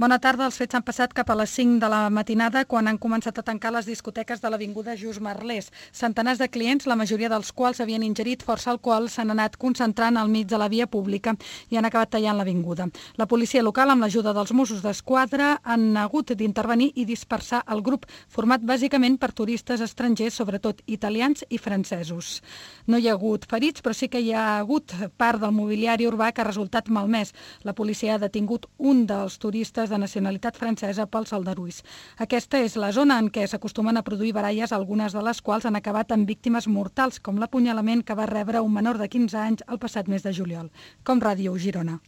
Bona tarda. Els fets han passat cap a les 5 de la matinada quan han començat a tancar les discoteques de l'avinguda Just Merlès. Centenars de clients, la majoria dels quals havien ingerit força alcohol, s'han anat concentrant al mig de la via pública i han acabat tallant l'avinguda. La policia local, amb l'ajuda dels Mossos d'Esquadra, han hagut d'intervenir i dispersar el grup, format bàsicament per turistes estrangers, sobretot italians i francesos. No hi ha hagut ferits, però sí que hi ha hagut part del mobiliari urbà que ha resultat malmès. La policia ha detingut un dels turistes de nacionalitat francesa pels aldarulls. Aquesta és la zona en què s'acostumen a produir baralles, algunes de les quals han acabat amb víctimes mortals, com l'apunyalament que va rebre un menor de 15 anys el passat mes de juliol. Com Ràdio Girona.